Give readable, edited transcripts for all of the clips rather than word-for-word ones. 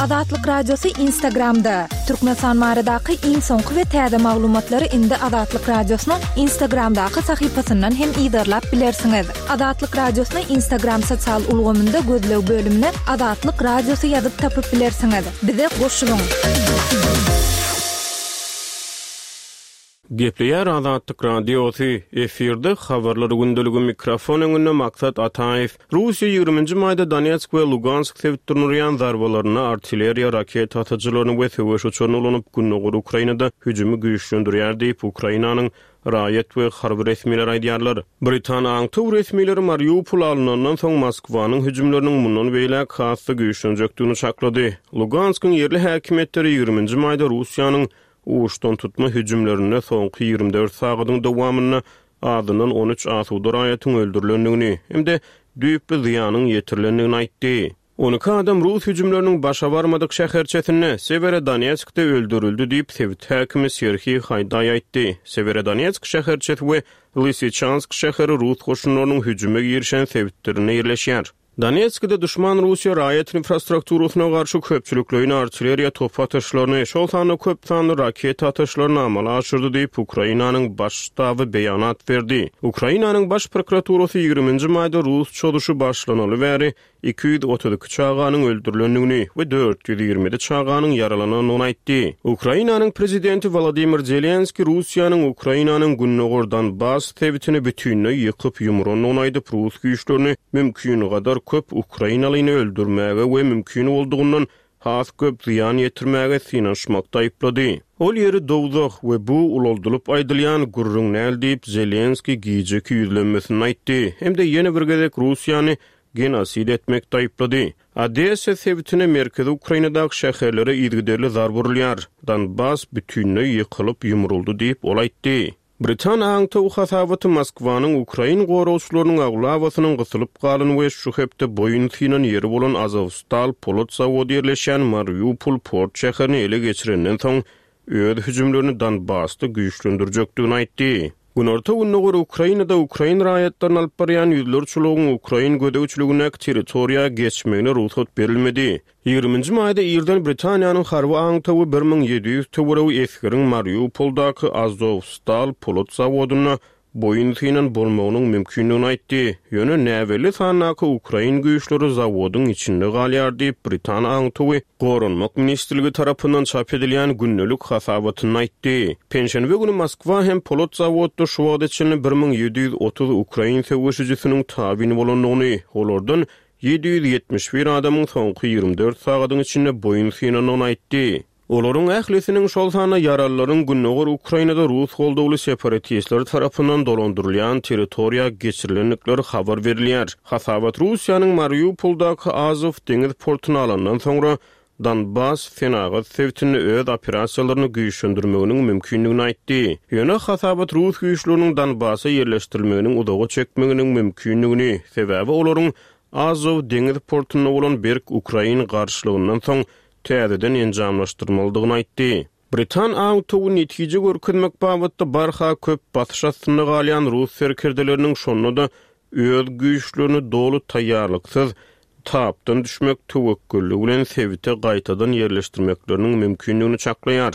Azatlyk Radiosy Instagramda! Türkmenistan baradaky iň soňky we täze maglumatlary indi Azatlyk Radiosynyň Instagramdaky sahypasyndan hem yzarlap bilersiňiz. Azatlyk Radiosyny Instagram sosial ulgamynda gözleg bölümine Azatlyk Radiosy ýazyp tapyp bilersiňiz. Bize goşulyň! Gepleýär Azatlyk Radiosy, efirde Habarlar gündeligi mikrofon öňünde Maksat Ataýew. Russiýa ýigriminji maýda Donetsk we Lugansk sebitlerine urýan zarbalarynda artilleriýa, raketa atyjylaryny we söweş uçaryny ulanyp, gündogar Ukrainada hüjümi güýçlendirýär diýip, Ukrainanyň raýat we harby resmileri aýdýarlar. Britan aňtaw resmileri Mariupol alnandan soň Moskwanyň hüjümleriniň mundan beýläk has-da güýçlenjekdigini çaklady. Luganskyň ýerli häkimiýetleri ýigriminji maýda Russiýanyň Uçdantutma hüjümlerinde soňky 24 sagadyň dowamynda azyndan 13 asuda raýatyň öldürilendigini hem-de düýpli zyýanyň ýetirilendigini aýtdy. 12 adam rus hüjümleriniň başa barmadyk şäherçesinde, Sewerodonetskde öldürildi diýip, sebit häkimi Serhiý Haýdaý aýtdy. Sewerodonetsk şäherçesi we Lysyçansk şäheri rus goşunlarynyň hüjüme girişen sebitlerinde ýerleşýär. Donetskde duşman Russiýa raýat infrastrukturasyna garşy köpçülikleýin artilleriýa top atyşlaryny, şol sanda köp sanly raketa atyşlaryny amala aşyrdy diýip, Ukrainanyň Baş ştaby beýanat berdi. Ukrainanyň Baş prokuraturasy ýigriminji maýda rus çozuşy başlanaly bäri 232 çaganyň öldürilendigini we 427 çaganyň ýaralanandygyny aýtdy. Ukrainanyň prezidenti Wolodymyr Zelenskiý Russiýanyň Ukrainanyň gündogar Donbass sebitini bütinleý ýykyp-ýumrandygyny aýdyp, rus güýçlerini mümkingadar köp ukrainalyny öldürmäge we mümkin boldugyndan has köp zyýan ýetirmäge synanyşmakda aýyplady. Ol ýeri dowzah we bu ulaldylyp aýdylýan gürrüň däl diýip, Zelenskiý gijeki ýüzlenmesinde aýtdy hem-de ýene bir gezek Russiýany genosid etmekde aýyplady. Odessa sebitine merkezi Ukrainadaky şäherlere yzygiderli zarba urulýar. Donbass bütinleý ýykylyp ýumruldy diýip, ol aýtdy. Britan aňtaw hasabaty Moskwanyň ukrain goragçylarynyň aglabasynyň gysylyp galan we şu hepde boýun synan ýeri bolan Azowstal polat zawody ýerleşýän Mariupol port şäherini ele geçirenden soň öz hüjümlerini Donbasda güýçlendirjekdigini aýtdy. Günorta-gündogar Ukrainada ukrain raýatlaryny alyp barýan ýüzlerçe ulagyň ukrain gözegçiligindäki territoriýa geçmegine rugsat berilmedi. Ýigriminji maýda irden Britaniýanyň harby aňtawy 1700 töweregi esgeriň Mariupoldaky Azowstal polat zawodynda boýun synan bolmagynyň mümkindigini aýtdy. Ýöne näbelli sandaky ukrain güýçleri zawodyň içinde galýar diýip, britan aňtawy Goranmak ministrligi tarapyndan çap edilýän gündelik hasabatynda aýtdy. Penşenbe güni Moskwa hem polat zawodda şu wagta çenli 1730 ukrain söweşijisiniň tabyn bolandygyny, olardan 771 adamyň soňky 24 sagadyň içinde boýun synandygyny aýtdy. Olaryň ählisiniň, şol sanda ýaralylaryň gündogar Ukrainada rus goldawly separatistler tarapyndan dolandyrylýan territoriýa geçirilendikleri habar berilýär. Hasabat Russiýanyň Mariupoldaky Azow deňiz portuny alandan soňra Donbass senagat sebitinde öz operasiýalaryny güýçlendirmeginiň mümkindigini aýtdy. Ýöne hasabat rus güýçleriniň Donbassa ýerleşdirilmeginiň uzaga çekmeginiň mümkindigini, sebäbi olaryň Azow deňiz portunda bolan berk ukrain garşylygyndan soň täzeden enjamlaşdyrmalydygyny aýtdy. Britan aňtawy netije görkezmek babatda barha köp basyş astynda galýan rus serkerdeleriniň şonda-da öz güýçlerini doly taýýarlyksyz tapdan düşmek töwekgelligi bilen sebite gaýtadan ýerleşdirmekleriniň mümkindigini çaklaýar.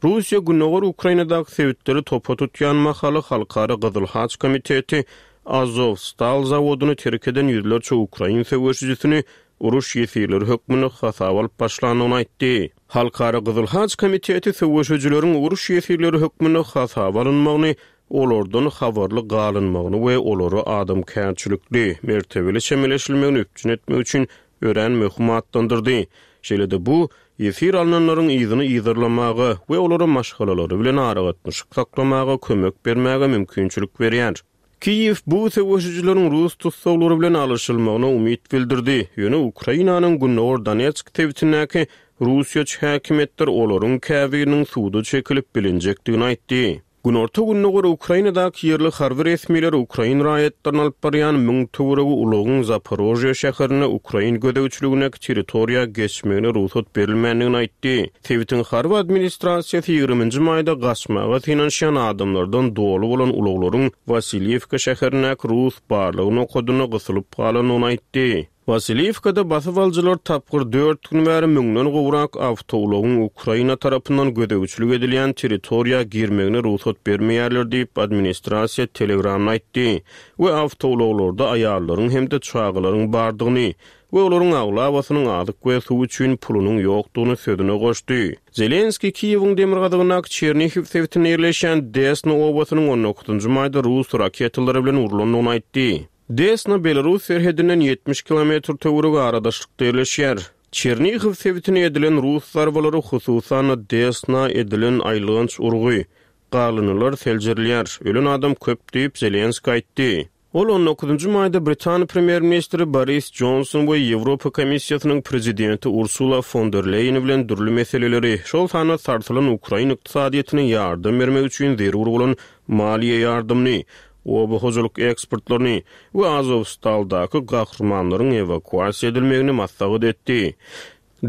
Russiýa gündogar Ukrainadaky sebitleri topa tutýan mahaly Halkara Gyzyl Haç komiteti Azowstal zawodyny terk eden ýüzlerçe ukrain söweşijisini uruş ýesirleri hökmünde hasaba alyp başlandygyny aýtdy. Halkara Gyzyl Haç komiteti söweşijileriň uruş ýesirleri hökmünde hasaba alynmagyny, olardan habarly galynmagyny we olara adamkärçilikli, mertebeli çemeleşilmegini üpjün etmek üçin örän möhüm atlandyrdy. Şeýle-de bu, ýesir alnanlaryň yzyny yzarlamaga we olara maşgalalary bilen aragatnaşyk saklamaga kömek bermäge mümkinçilik berýär. Kiýew bu söweşijileriň rus tussaglary bilen alyşylmagyna umyt bildirdi, ýöne Ukrainanyň gündogar Donetsk sebitindäki russiýaçy häkimiýetler olaryň käbiriniň suda çekilip bilinjekdigini aýtdy. Günorta-gündogar Ukrainadaky ýerli harby resmiler ukrain raýatlaryny alyp barýan müň töweregi ulagyň Zaporožýe şäherinde ukrain gözegçiligindäki territoriýa geçmegine rugsat berilmändigini aýtdy. Sebitiň harby administrasiýasy ýigriminji maýda gaçmaga synanyşýan adamlardan doly bolan ulaglaryň Wasilýewka şäherindäki rus barlag nokadynda gysylyp galandygyny aýtdy. Wasiliwkada basybalyjylar tapgyr dört gün bäri müňden gowrak awtoulagyň Ukraina tarapyndan gözegçilik edilýän territoriýa girmegine rugsat bermeýärler diýip, administrasiýa Telegramda aýtdy we awtoulaglarda aýallaryň hem-de çagalaryň bardygyny we olaryň aglabasynyň azyk we suw üçin pulunyň ýokdugyny sözüne goşdy. Zelenskiý Kiýewiň demirgazygyndaky Çernihiw sebitinde ýerleşýän Desna obasynyň on dokuzynjy maýda rus raketalary bilen urlandygyny aýtdy. Desna belarus serhedinden 70 kilometr töweregi aradaşlykda ýerleşýär. Çernihiw sebitine edilen rus zarbalary, hususan-da, Desna edilen aýylganç urgy, galyndylar seljerilýär, ölen adam köp diýip, Zelenskiý aýtdy. Ol on dokuzynjy maýda britan premýer-ministri Boris Jonson we Ýewropa Komissiýasynyň prezidenti Ursula fon der Leýen bilen dürli meseleleri, şol sanda sarsylan ukrain ykdysadyýetine ýardam bermek üçin zerur bolan maliýe ýardamyny, oba hojalyk eksportlaryny we Azowstaldaky gahrymanlaryň ewakuasiýa edilmegini maslahat etdi.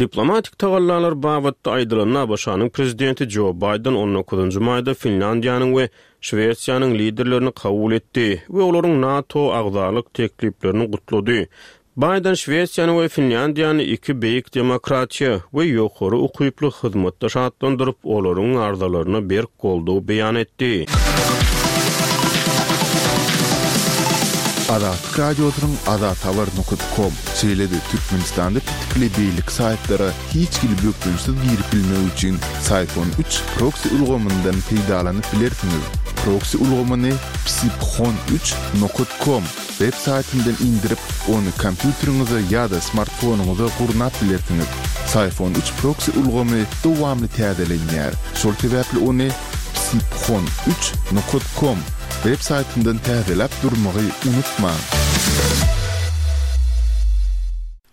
Diplomatik tagallalar babatda aýdylanda, ABŞ-nyň prezidenti Jo Baýden on dokuzynjy maýda Finlýandiýanyň we Şwesiýanyň liderlerini kabul etdi we olaryň NATO agzalyk tekliplerini gutlady. Baýden Şwesiýany we Finlýandiýany iki beýik demokratiýa we ýokary ukyply hyzmatdaş atlandyryp, olaryň arzalaryna berk goldaw beýan etdi. Azatlyk Radiosynyň Azathabar nokat kom, şeýle-de Türkmenistanda petikli beýleki saýtlara hiç hili bökdençsiz girip bilmek üçin Syphon üç proksi ulgamyndan peýdalanyp bilersiňiz. Proksi ulgamyny psiphon üç nokat kom Web saýtyndan indirip, ony kompýuteriňize ýa-da smartfonyňyza gurnap bilersiňiz. Syphon üç proksi ulgamy dowamly täzelenýär, şol sebäpli ony psiphon üç nokat kom web saýtyndan täzeläp durmagy unutmaň.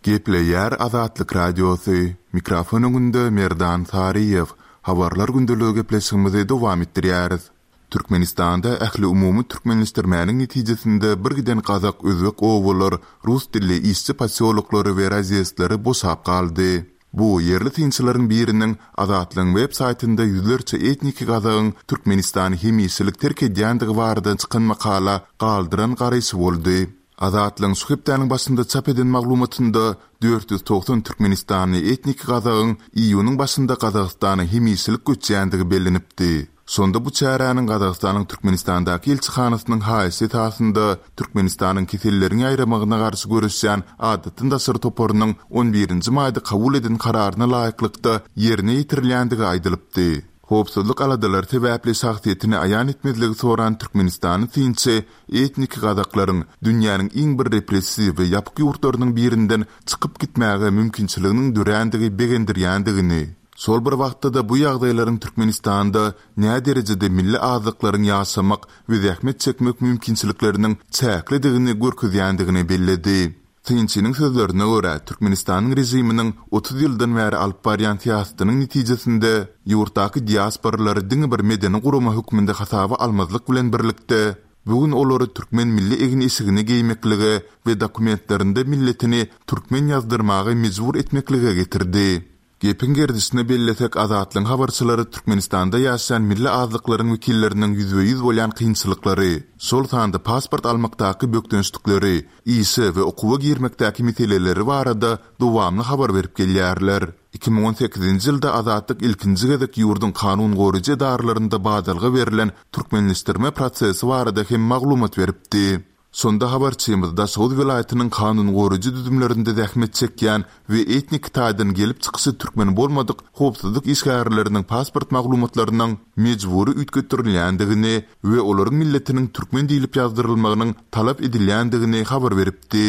Gepleýär Azatlyk Radiosy, Mikrofon öňünde Merdan Saryýew. Habarlar gündeligi gepleşigimizi dowam etdirýäris. Türkmenistanda ähliumumy türkmenleşdirmäniň netijesinde birgiden gazak, özbek obalar, rus dilli işçi posýoloklary we razýezdleri boşap galdy. Bu, ýerli synçylaryň biriniň Azatlygyň web saýtynda ýüzlerçe etniki gazagyň Türkmenistany hemişelik terk edýändigi barada çykan makala galdyran garaýşy boldy. Azatlygyň şu hepdäniň başynda çap eden maglumatynda 490 türkmenistanly etniki gazagyň iýunyň başynda Gazagystana hemişelik göçýändigi bellenipdi. Şonda bu çäräniň Gazagystanyň Türkmenistandaky ilçihanasynyň haýyşy esasynda Türkmenistanyň keselleriň ýaýramagyna garşy göreşýän Adatdan daşary toparynyň on birinji maýda kabul eden kararyna laýyklykda ýerine ýetirilýändigi aýdylypdy. Howpsuzlyk aladalary sebäpli şahsyýetini aýan etmezligi soran türkmenistanly synçy etniki gazaklaryň dünýäniň iň bir repressiw we ýapyk ýurtlarynyň birinden çykyp gitmäge mümkinçiliginiň dörändigi begendirýändigini, Şol bir wagtda-da bu ýagdaýlaryň Türkmenistanda näderejede milli azlyklaryň ýaşamak we zähmet çekmek mümkinçilikleriniň çäklidigini görkezýändigini belledi. Synçynyň sözlerine görä, Türkmenistanyň režiminiň 30 ýyldan bäri alyp barýan syýasatynyň netijesinde ýurtdaky diasporalary diňe bir medeni gurama hökmünde hasaba almazlyk bilen birlikde, bu gün olary türkmen milli egin-eşigini geýmeklige we dokumentlerinde milletini türkmen ýazdyrmaga mejbur etmeklige getirdi. Gepiň gerdişine bellesek, Azatlygyň habarçylary Türkmenistanda ýaşaýan milli azlyklaryň wekilleriniň ýüzbe-ýüz bolýan kynçylyklary, şol sanda pasport almakdaky bökdençlikleri, işe we okuwa girmekdäki meseleleri barada dowamly habar berip gelýärler. 2018-nji ýylda Azatlyk ilkinji gezek ýurduň kanun goraýjy edaralarynda badalga berlen türkmenleşdirme prosesi barada hem maglumat beripdi. Şonda habarçymyz Daşoguz welaýatynyň kanun goraýjy düzümlerinde zähmet çekýän we etnik taýdan gelip çykyşy türkmen bolmadyk howpsuzlyk işgärleriniň pasport maglumatlarynyň mejbury üýtgetdirilýändigini we olaryň milletiniň türkmen diýlip ýazdyrylmagynyň talap edilýändigini habar beripdi.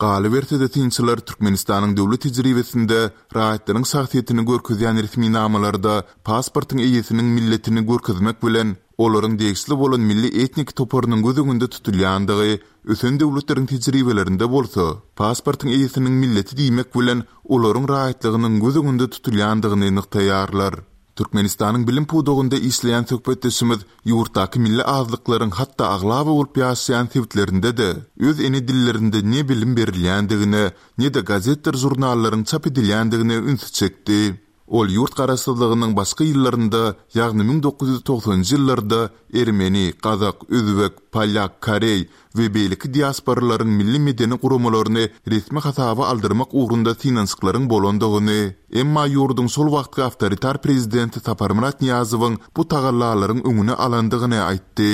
Galyberse-de synçylar Türkmenistanyň döwlet tejribesinde raýatlaryň şahsyýetini görkezýän resminamalarda pasportyň eýesiniň milletini görkezmek bilen, olaryň degişli bolan milli etnik toparynyň göz öňünde tutulýandygy, ösen döwletleriň tejribelerinde bolsa, pasportyň eýesiniň milleti diýmek bilen, olaryň raýatlygynyň göz öňünde tutulýandygyny nygtaýarlar. Türkmenistanyň bilim pudagynda işleýän söhbetdeşimiz ýurtdaky milli azlyklaryň hatda aglaba bolup ýaşaýan sebitlerinde-de öz ene dillerinde ne bilim berilýändigine, ne-de gazetdir žurnallaryň çap edilýändigine ünsi çekdi. Ol ýurt garaşsyzlygynyň başky ýyllarynda, ýagny 1990-njy ýyllarda ermeni, gazak, özbek, polýak, koreý we beýleki diasporalaryň milli-medeni guramalaryny resmi hasaba aldyrmak ugrunda synanyşyklaryň bolandygyny, emma ýurduň şol wagtky awtoritar prezidenti Saparmyrat Nyýazowyň bu tagallalaryň öňüni alandygyny aýtdy.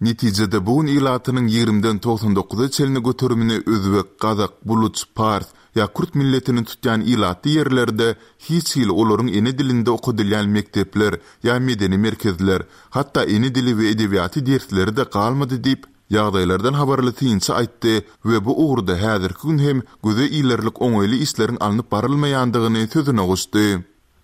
Netijede bu gün ilatynyň ýigrimiden 99-a çenli göterimini özbek, gazak, buluç, pars ýa kürt milletini tutýan ilatly ýerlerde hiç hili olaryň ene dilinde okadylýan mekdepler ýa medeni merkezler, hatda ene dili we edebiýaty dersleri-de galmady diýip, ýagdaýlardan habarly synçy aýtdy we bu ugurda häzirki gün hem göze ilerlik oňaýly işleriň alnyp barylmaýandygyny sözüne goşdy.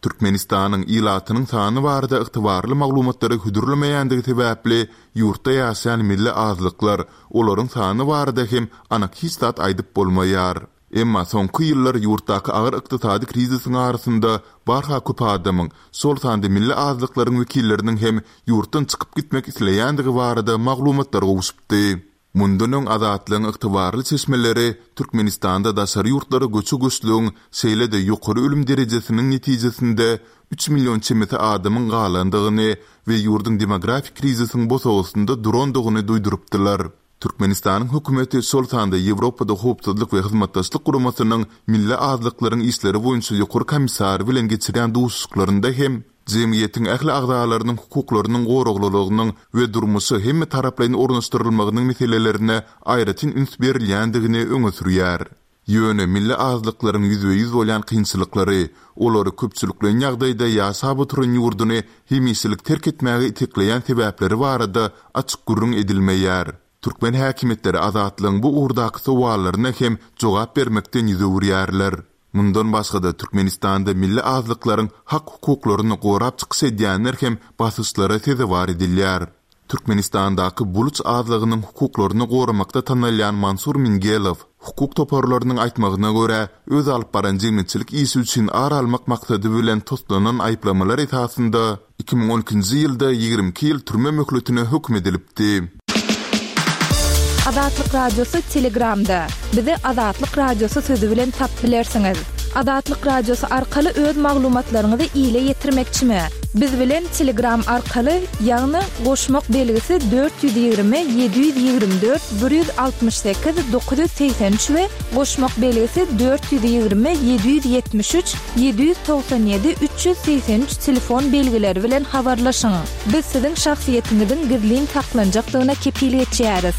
Türkmenistanyň ilatynyň sany barada ygtybarly maglumatlary hödürlemeýändigi sebäpli ýurtda ýaşaýan milli azlyklar, olaryň sany barada hem anyk hiç zat aýdyp bolmaýar. Emma soňky ýyllar ýurtdaky agyr ykdysady krizisiň arasynda barha köp adamyň, şol sanda milli azlyklaryň wekilleriniň hem ýurtdan çykyp gitmek isleýändigi barada maglumatlar gowşupdy. Mundan öň Azatlygyň ygtybarly çeşmeleri Türkmenistanda daşary ýurtlara göçe-göçlügiň, şeýle-de ýokary ölüm derejesiniň netijesinde üç million çemesi adamyň galandygyny we ýurduň demografik krizisiň bosagasynda durandygyny duýdurypdylar. Türkmenistanyň hökümeti, şol sanda Ýewropada Howpsuzlyk we Hyzmatdaşlyk Guramasynyň Milli azlyklaryň işleri boýunça ýokary komissary bilen geçirýän duşuşyklarynda hem jemgyýetiň ähli agzalarynyň hukuklarynyň goraglylygynyň we durmuşa hemmetaraplaýyn ornaşdyrylmagynyň meselelerine aýratyn üns berilýändigini öňe sürýär. Ýöne milli azlyklaryň ýüzbe-ýüz bolýan kynçylyklary, olary köpçülikleýin ýagdaýda ýaşap oturan ýurduny hemişelik terk etmäge itekleýän sebäpleri barada açyk gürrüň edilmeýär. Türkmen häkimiýetleri Azatlygyň bu ugurdaky sowallaryna hem jogap bermekden ýüz öwürýärler. Mundan başga-da, Türkmenistanda milli azlyklaryň hak-hukuklaryny gorap çykyş edýänler hem basyşlara sezewar edilýär. Türkmenistandaky buluç azlygynyň hukuklaryny goramakda tanalýan Mansur Mingelow, hukuk toparlarynyň aýtmagyna görä, öz alyp baran jemgyýetçilik işi üçin ar almak maksady bilen toslanan aýyplamalar esasynda 2012-nji ýylda 22 ýyl türme möhletine höküm edilipdi. Azatlyk Radiosy Telegramda. Bizi Azatlyk Radiosy sözi bilen tapyp bilersiňiz. Azatlyk Radiosy arkaly öz maglumatlaryňyzy ile ýetirmekçimi? Biz bilen Telegram arkaly, ýagny goşmak belgisi 420 724 168 983 we goşmak belgisi 420 773 797 383 telefon belgileri bilen habarlaşyň. Biz siziň şahsyýetiňiziň gizlin saklanjakdygyna kepil geçýäris.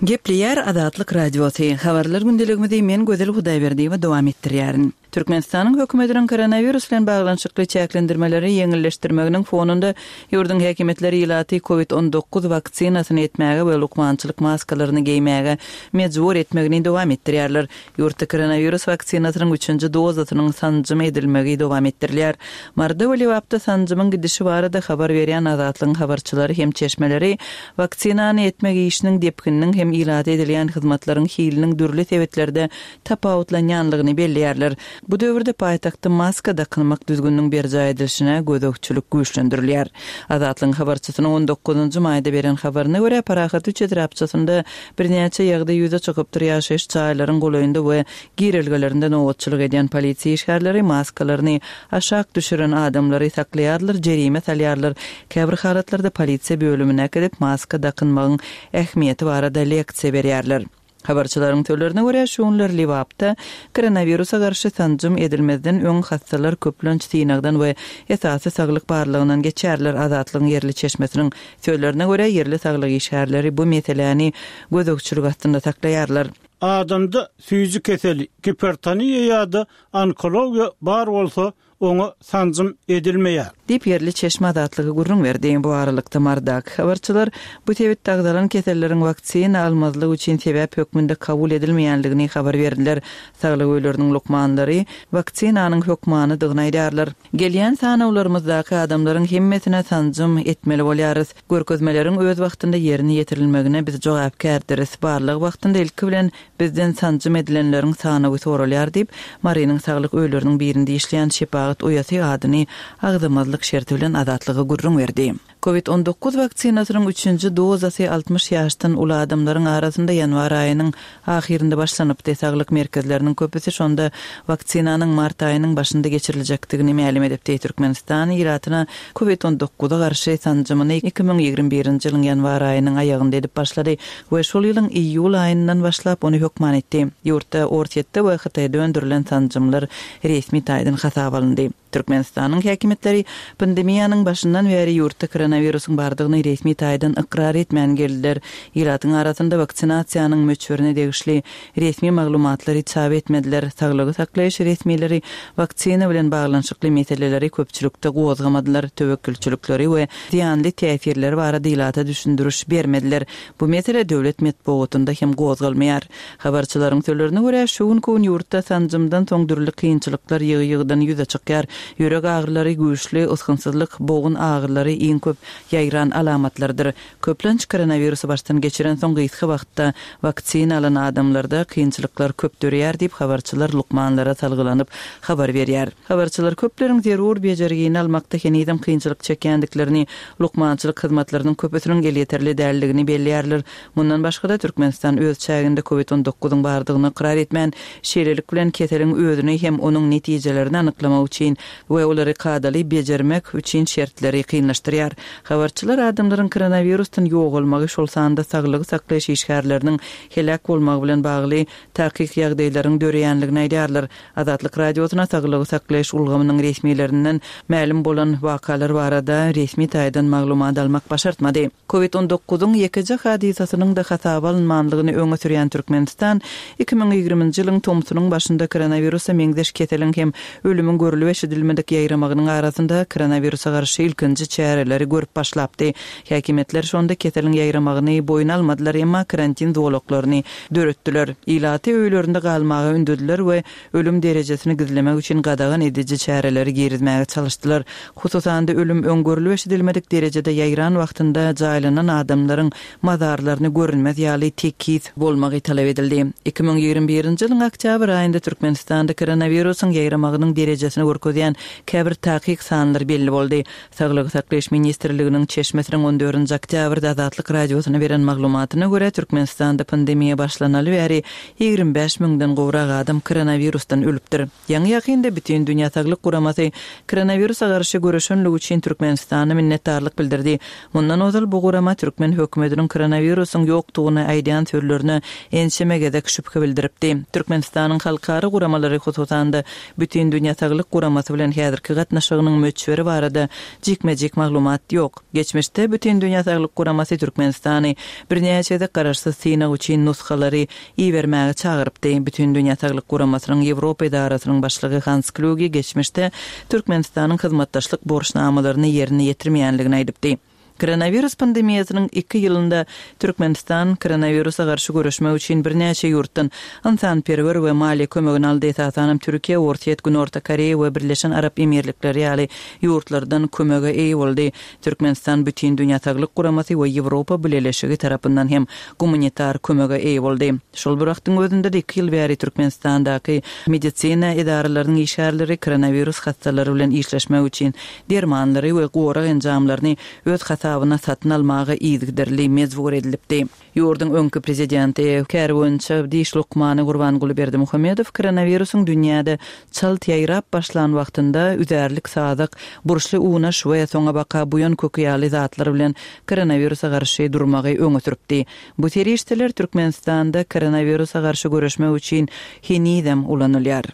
Gepleýär Azatlyk Radiosy, Habarlar gündeligimizi men Gözel Hudaýberdiýewa dowam etdirýärin. Türkmenistanyň hökümetiniň koronawirus bilen baglanyşykly çäklendirmeleri ýeňilleşdirmeginiň fonunda ýurduň häkimiýetleri ilaty covid 19 waksinasyny etmäge we lukmançylyk maskalaryny geýmäge mejbur etmegini dowam etdirýärler. Ýurtda koronawirus waksinasynyň üçünji dozasynyň sanjym edilmegi dowam etdirilýär. Maryda we Lebapda sanjymyň gidişi barada habar berýän Azatlygyň habarçylary hem çeşmeleri waksinany etmek işiniň depgininiň hem ilata edilýän hyzmatlaryň hiliniň dürli sebitlerde tapawutlanýanlygyny belleýärler. Bu döwürde paýtagtda maska dakynmak düzgüniniň berjaý edilişine gözegçilik güýçlendirilýär. Azatlygyň habarçysynyň on dokuzynjy maýda beren habaryna görä, Parahat üç etrapçasynda Birnäçe ýagdaý ýüze çykypdyr, ýaşaýyş jaýlaryň golaýynda we girelgelerinde nobatçylyk edýän polisiýa işgärleri maskalaryny aşak düşüren adamlary saklaýarlar, jerime salýarlar, käbir halatlarda polisiýa bölümine äkidip, maska dakynmagyň ähmiýeti barada leksiýa berýärler. Habarçylaryň sözlerine görä, şu günler Lebapda koronawirusa garşy sanjym edilmezden öň hassalar köplenç synagdan we esasy saglyk barlagyndan geçýärler, Azatlygyň ýerli çeşmesiniň Sözlerine görä, ýerli saglyk işgärleri bu meseläni gözegçilik astynda saklaýarlar. Adamda süýji keseli, gipertoniýa ýa-da onkologiýa bar bolsa, oňa sanjym edilmeýär. Diýip, ýerli çeşme Azatlyga gürrüň berdi. Bu aralykda, Marydaky habarçylar bu sebitde agzalan keselleriň waksina almazlyk üçin sebäp hökmünde kabul edilmeýändigini habar berdiler. Saglyk öýleriniň lukmanlary waksinanyň hökmanydygyny aýdýarlar. Gelýän sanawlarymyzdaky adamlaryň hemmesine sanjym etmeli bolýarys. Görkezmeleriň öz wagtynda ýerine ýetirilmegine biz jogapkärdiris. Barlag wagtynda ilki bilen bizden sanjym edilenleriň sanawy soralýar diýip, Marynyň saglyk öýleriniň birinde işleýän şepagat uýasy adyny agzamazlyk şerti bilen Azatlyga gürrüň berdi. Covid 19 waksinasynyň üçünji dozasy 60 ýaşdan uly adamlaryň arasynda ýanwar aýynyň ahyrynda başlanypdy. Saglyk merkezleriniň köpüsi şonda waksinanyň mart aýynyň başynda geçiriljekdigini mälim edipdi. Türkmenistan ilatyna Covid 19-a garşy sanjymyny 2021-nji ýylyň ýanwar aýynyň aýagynda edip başlady we şol ýylyň iýul aýyndan başlap ony hökman etdi. Ýurtda Orsýetde we Hytaýda öndürilen sanjymlar resmi taýdan hasaba alyndy. Türkmenistanyň häkimiýetleri pandemiýanyň başyndan bäri ýurtda koronawirusyň bardygyny resmi taýdan ykrar etmän geldiler. Ilatyň arasynda waksinasiýanyň möçberine degişli resmi maglumatlary çap etmediler. Saglygy saklaýyş resmileri waksina bilen baglanyşykly meseleleri köpçülikde gozgamadylar, töwekgelçilikleri we zyýanly täsirleri barada ilata düşündiriş bermediler. Bu mesele döwlet metbugatynda hem gozgalmaýar. Habarçylaryň sözlerine görä, şu günki gün ýurtda sanjymdan soň dürli kynçylyklar ýygy-ýygydan ýüze çykýar. Ýürek agyrylary, güýçli ysgynsyzlyk, bogun agyrylary iň köp ýaýran alamatlardyr. Köplenç koronawirusy başdan geçirensoň gysga wagtda waksina alan adamlarda kynçylyklar köp döreýär diýip, habarçylar lukmanlara salgylanyp habar berýär. Habarçylar köpleriň zerur bejergini almakda henizem kynçylyk çekýändiklerini, lukmançylyk hyzmatlarynyň köpüsiniň elýeterli däldigini belleýärler. Mundan başga-da, Türkmenistan öz çäginde Covid 19 yň bardygyny ykrar etmän, şeýlelik bilen keseliň özüni hem onuň netijelerini anyklamak üçin we olary kadaly bejermek üçin şertleri kynlaşdyrýar. Habarçylar adamlaryň koronawirusdan ýogalmagy, şol sanda saglygy saklaýyş işgärleriniň heläk bolmagy bilen bagly takyk ýagdaýlaryň döreýänligini aýdýarlar. Azatlyk Radiosyna saglygy saklaýyş ulgamynyň resmilerinden mälim bolan wakalar barada resmi taýdan maglumat almak başartmady. Covid 19-yň ýekeje hadysasynyň-da hasaba alynmanlygyny öňe sürýän Türkmenistan 2020-nji ýylyň tomsunyň başynda koronawirusa meňzeş keseliň hem ölümiň görlüp-eşidilmedik ýaýramagynyň arasynda koronawirusa garşy ilkinji çäreleri görüp başlapdy. Häkimiýetler şonda keseliň ýaýramagyny boýun almadylar, emma karantin zolaklaryny döretdiler. Ilaty öýlerinde galmaga ündediler we ölüm derejesini gizlemek üçin gadagan ediji çäreleri girizmäge çalyşdylar. Hususan-da, ölüm öň görlüp-eşidilmedik derejede ýaýran wagtynda jaýlanan adamlaryň mazarlaryny görünmez ýaly tekiz bolmagy talap edildi. 2021-nji ýylyň oktýabr aýynda Türkmenistanda koronawirusyň ýaýramagynyň derejesini görkezýän käbir takyk sanlar belli boldy. Saglygy saklaýyş ministrliginiň çeşmesiniň on dördünji oktýabrda Azatlyk Radiosyna beren maglumatyna görä, Türkmenistanda pandemiýa başlanaly bäri 25 müňden gowrak adam koronawirusdan ölüpdir. Ýaňy-ýakynda Bütindünýä Saglyk Guramasy koronawirusa garşy göreşenligi üçin Türkmenistana minnetdarlyk bildirdi. Mundan ozal bu gurama türkmen hökümetiniň koronawirusyň ýokdugyny aýdýan sözlerine ençeme gezek şübhe bildiripdi. Türkmenistanyň halkara guramalary, hususan-da, Bütindünýä Saglyk Guramasy bilen häzirki gatnaşygynyň möçberi barada jikme-jik maglumat ýok. Geçmişde Bütindünýä Saglyk Guramasy Türkmenistany birnäçe gezek garaşsyz synag üçin nusgalary ibermäge çagyrypdy. Bütindünýä Saglyk Guramasynyň Ýewropa edarasynyň başlygy Hans Kluge geçmişde Türkmenistanyň hyzmatdaşlyk borçnamalaryny ýerine ýetirmeýänligini aýdypdy. Koronawirus pandemiýasynyň iki ýylynda Türkmenistan koronawirusa garşy göreşmek üçin birnäçe ýurtdan ynsanperwer we maliýe kömegini aldy, esasanam Türkiýe, Orsýet, Günorta Koreýa we Birleşen Arap Emirlikleri ýaly ýurtlardan kömege eýe boldy. Türkmenistan Bütindünýä Saglyk Guramasy we Ýewropa Bileleşigi tarapyndan hem gumanitar kömege eýe boldy. Şol bir wagtyň özünde-de iki ýyl bäri Türkmenistandaky medisina edaralarynyň işgärleri koronawirus hassalary bilen işleşmek üçin dermanlary we gorag enjamlaryny öz hasabyna satyn almaga yzygiderli mejbur edilipdi. Ýurduň öňki prezidenti, käri boýunça diş lukmany Gurbanguly Berdimuhamedow koronawirusyň dünýäde çalt ýaýrap başlan wagtynda üzärlik sazak, burçly unaş we soňabaka buýan köki ýaly zatlar bilen koronawirusa garşy durmagy öňe sürüpdi. Bu serişdeler Türkmenistanda koronawirusa garşy göreşmek üçin henizem ulanylýar.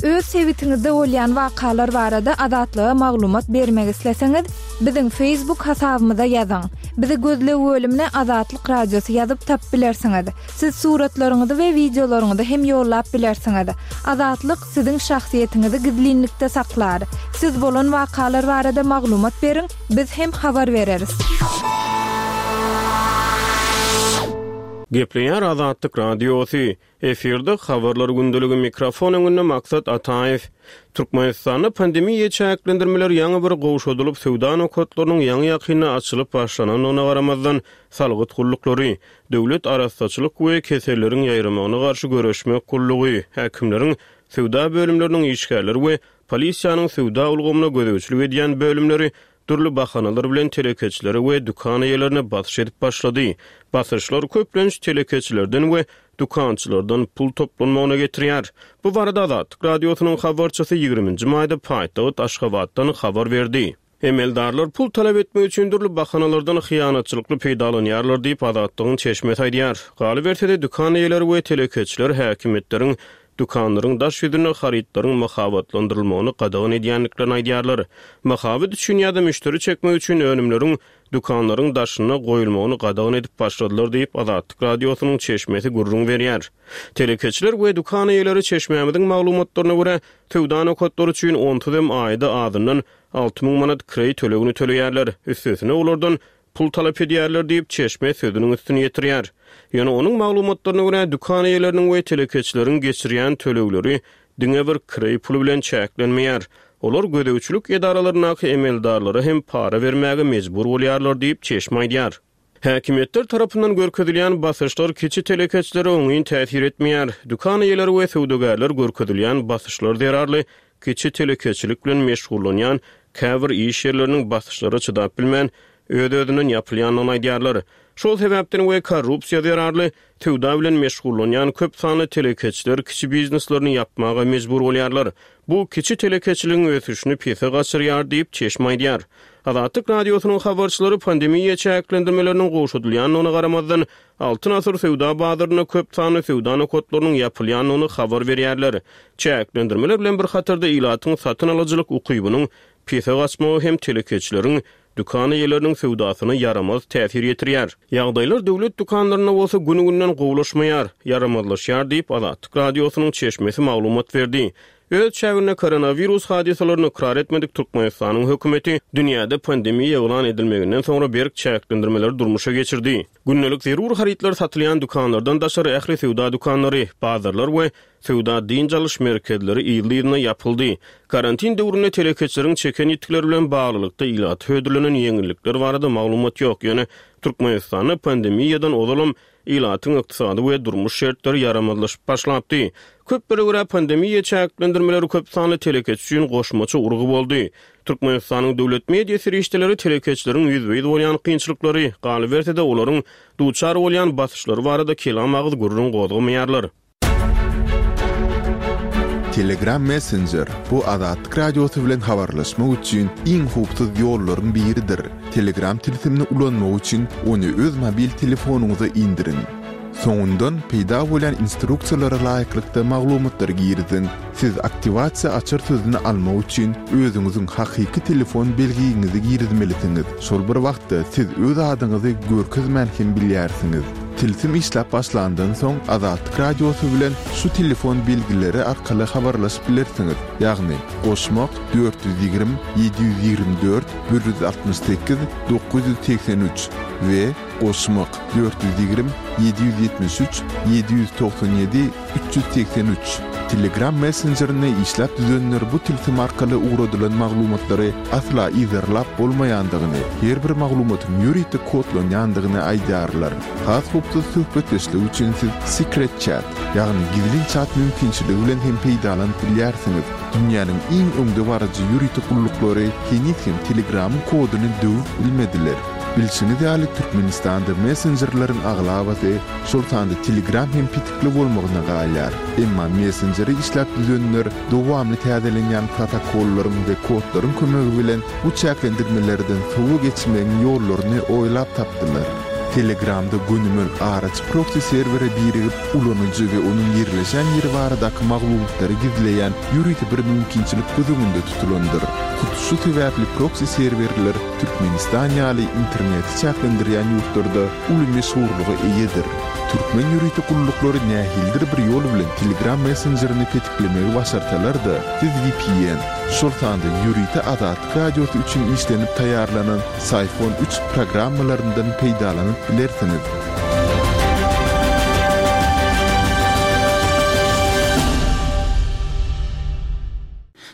Öz sebitiňizde bolýan wakalar barada Azatlyga maglumat bermek isleseňiz, biziň Facebook hasabymyza ýazyň. Bizi gözleg bölümine Azatlyk Radiosy ýazyp tapyp bilersiňiz. Siz suratlaryňyzy we wideolaryňyzy hem ýollap bilersiňiz. Azatlyk siziň şahsyýetiňizi gizlinlikde saklar. Siz bolan wakalar barada maglumat beriň, biz hem habar bereris. Gepleýär Azatlyk Radiosy. Efirde Habarlar gündeligi mikrofon öňünde Maksat Ataýew. Türkmenistanda pandemiýa çäklendirmeleri ýaňy bir gowşadylyp, söwda nokatlarynyň ýaňy-ýakynda açylyp başlanandygyna garamazdan, salgyt gulluklary, Döwlet arassaçylyk we keselleriň ýaýramagyna garşy göreşmek gullugy, häkimleriň. Söwda bölümleriniň işgärleri we polisiýanyň söwda ulgamyna gözegçilik edýän bölümleri dürli bahanalar bilen telekeçilere we dükan eýelerine basyş edip başlady. Basyşlar köplenç telekeçilerden we dükançylardan pul toplanmagyna getirýär. Bu barada Azatlyk Radiosynyň habarçysy ýigriminji maýda paýtagt Aşgabatdan habar berdi. Emeldarlar pul talap etmek üçin dürli bahanalardan hyýanatçylykly peýdalanýarlar diýip, Azatlygyň çeşmesi aýdýar. Galyberse-de, dükan eýeleri we telekeçiler häkimiýetleriň dükanlaryň daş ýüzünde harytlaryň mahabatlandyrylmagyny gadagan edýändiklerini aýdýarlar. Mahabat üçin ýa-da müşderi çekmek üçin önümleriň dükanlaryň daşynda goýulmagyny gadagan edip başladylar diýip, Azatlyk Radiosynyň çeşmesi gürrüň berýär. Telekeçiler we dükan eýeleri çeşmämiziň maglumatlaryna görä, söwda nokatlary üçin onsuz hem aýda azyndan 6000 manat kireý tölegini töleýärler, üstesine olardan pul talap edýärler diýip, çeşme sözüniň üstüni ýetirýär. Ýöne onuň maglumatlaryna görä, dükan eýeleriniň we telekeçileriň geçirýän tölegleri diňe bir kireý puly bilen çäklenmeýär. Olar gözegçilik edaralaryndaky emeldarlara hem para bermäge mejbur bolýarlar diýip, çeşme aýdýar. Häkimiýetler tarapyndan görkezilýän basyşlar kiçi telekeçilere oňyn täsir etmeýär. Dükan eýeleri we söwdagärler görkezilýän basyşlar zerarly kiçi telekeçilik bilen meşgullanýan käbir iş ýerleriniň basyşlara çydap bilmän, öz-özünden ýapylýandygyny aýdýarlar. Şol sebäpden we korrupsiýa zerarly söwda bilen meşgullanýan köp sanly telekeçiler kiçi bizneslerini ýapmaga mejbur bolýarlar. Bu kiçi telekeçiligiň ösüşini pese gaçyrýar diýip, çeşme aýdýar. Azatlyk Radiosynyň habarçylary pandemiýa çäklendirmeleriniň gowşadylýandygyna garamazdan, Altyn asyr söwda bazarynda köp sanly söwda nokatlarynyň ýapylýandygyny habar berýärler. Çäklendirmeler bilen bir hatarda ilatyň satyn alyjylyk ukybynyň pese gaçmagy hem telekeçileriň dükan eýeleriniň söwdasyna ýaramaz täsir ýetirýär. Ýagdaýlar döwlet dükanlarynda bolsa gün-günden gowulaşmaýar, ýaramazlaşýar diýip, Azatlyk Radiosynyň çeşmesi maglumat berdi. Öz çäginde koronawirus hadysalaryny ykrar etmedik Türkmenistanyň hökümeti dünýäde pandemiýa yglan edilmeginden soňra berk çäklendirmeleri durmuşa geçirdi. Gündelik zerur harytlar satylýan dükanlardan daşary ähli söwda dükanlary, bazarlar we Söwda-dynç alyş merkezleri yzly-yzyna ýapyldy. Karantin döwründe telekeçileriň çeken ýitgileri bilen baglylykda ilata hödürlenen ýeňillikler barada maglumat ýok. Ýöne Türkmenistanda pandemiýadan ozalam ilatyň ykdysady we durmuş şertleri ýaramazlaşyp başlapdy. Köplere görä, pandemiýa çäklendirmeleri köp sanly telekeçi üçin goşmaça urgy boldy. Türkmenistanyň döwlet media serişdeleri telekeçileriň ýüzbe-ýüz bolýan kynçylyklary, galyberse-de olaryň duçar bolýan basyşlary barada kelam agyz gürrüň gozgamaýarlar. Telegram Messenger, bu Azatlyk Radiosy bilen habarlaşmak üçin iň howpsuz ýollaryň biridir. Telegram tilsimini ulanmak üçin ony öz mobil telefonyňyza indiriň. Soňundan peýda bolýan instruksiýalara laýyklykda maglumatlary giriziň. Siz aktiwasiýa açar sözüni almak üçin özüňiziň hakyky telefon belgiňizi girizmelisiňiz. Şol bir wagtda siz öz adyňyzy görkezmän hem bilýärsiňiz. Tilsim işläp başlandan soň Azatlyk Radiosy bilen şu telefon belgileri arkaly habarlaşyp bilersiňiz, ýagny, goşmak, 420 724 168 983 we goşmak, 420 773 797 383. Telegram messenjerini işläp düzenler bu tilsim arkaly ugradylan maglumatlary asla yzarlap bolmaýandygyny, her bir maglumatyň ýörite kodlanýandygyny aýdýarlar. Has howpsuz söhbetdeşlik üçin siz Secret Chat, ýagny gizlin çat mümkinçiligi bilen hem peýdalanyp bilýärsiňiz. Dünýäniň iň öňdebaryjy ýörite gulluklary heniz hem Telegramyň koduny döwüp bilmediler. Bilşiňiz ýaly, Türkmenistanda messenjerleriň aglabasy, şol sanda Telegram hem petikli bolmagyna galýar. Emma messenjeri işläp düzenler dowamly täzelenýän protokollaryň we kodlaryň kömegi bilen bu çäklendirmelerden sowa geçmegiň ýollaryny oýlap tapdylar. Telegramda gönümel araçy proksi serwere birigip, ulanyjy we onuň ýerleşen ýeri baradaky maglumatlary gizleýän ýörite bir mümkinçilik göz öňünde tutulandyr. Hut şu sebäpli proksi serwerler Türkmenistan ýaly interneti çäklendirýän ýurtlarda uly meşhurlyga eýedir. Türkmen ýörite gulluklary nähilidir bir ýol bilen Telegram messenjerini petiklemegi başarsalar-da, siz vpn, şol sanda ýörite Azatlyk Radiosy üçin işlenip taýýarlanan Syphon üç programmalaryndan peýdalanyp bilersiňiz.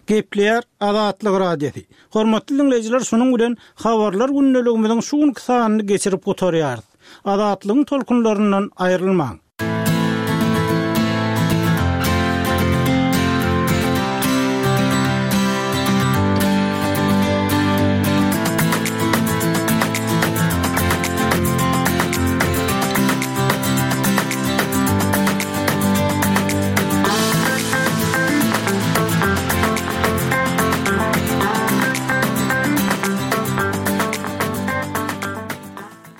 Gepleýär Azatlyk Radiosy. Hormatly diňleýjiler şunuň bilen Habarlar gündeligimiziň şu günki sanyny geçirip gutarýarys. Azatlygyň tolkunlaryndan aýrylmaň!